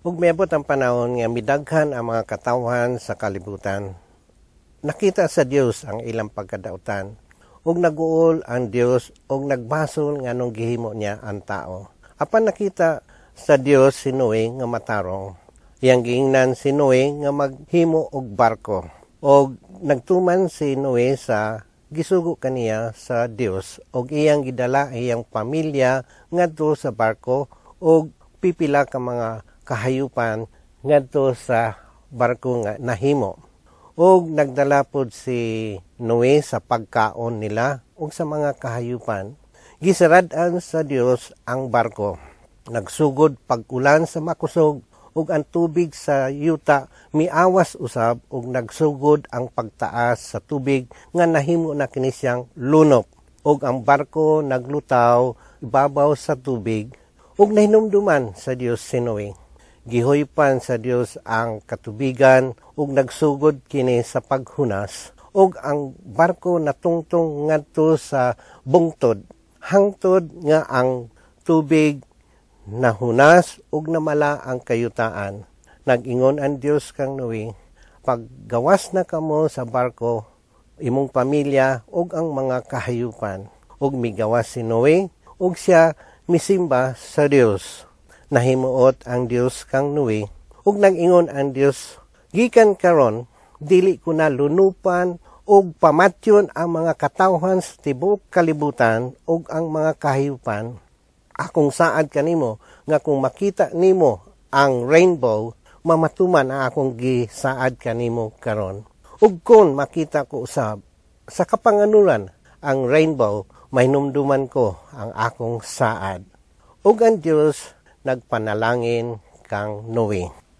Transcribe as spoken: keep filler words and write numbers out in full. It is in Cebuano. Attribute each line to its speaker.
Speaker 1: Ug miabot ang panahon nga midaghan ang mga katawhan sa kalibutan. Nakita sa Dios ang ilang pagkadautan. Ug naguol ang Dios ug nagbasol nganong gihimo niya ang tao. Apan nakita sa Dios si Noe nga matarong. Iyang giingnan si Noe nga maghimo og barko. Og nagtuman si Noe sa gisugo kaniya sa Dios og iyang gidala iyang pamilya ngadto sa barko og pipila ka mga kahayupan ngadto sa barko nga nahimo. Og nagdala pod si Noe sa pagkaon nila ug sa mga kahayupan. Gisarad-an sa Dios ang barko. Nagsugod pag-ulan sa makusog ug ang tubig sa yuta miawas usab ug nagsugod ang pagtaas sa tubig nga nahimo na kini siyang lunop ug ang barko naglutaw ibabaw sa tubig ug nahinumduman sa Dios si Noe. Gihuypan sa Dios ang katubigan ug nagsugod kini sa paghunas ug ang barko natungtong ngadto sa bungtod hangtod nga ang tubig nahunas ug namala ang kayutaan. Nag-ingon ang Dios kang Noe, paggawas na kamo sa barko, imong pamilya ug ang mga kahayupan. Ug migawas si Noe ug siya misimba sa Dios. Nahimuot ang Dios kang Noe ug nag-ingon ang Dios, gikan karon dili ko na lunupan ug pamatyon ang mga katawhan sa tibuok kalibutan ug ang mga kahayupan. Akong saad kanimo nga kung makita nimo ang rainbow, mamatuman ang akong gisaad kanimo karon. Ug kon makita ko usab sa kapanganuran ang rainbow, mahinumduman ko ang akong saad. Ug ang Dios nagpanalangin kang Noe.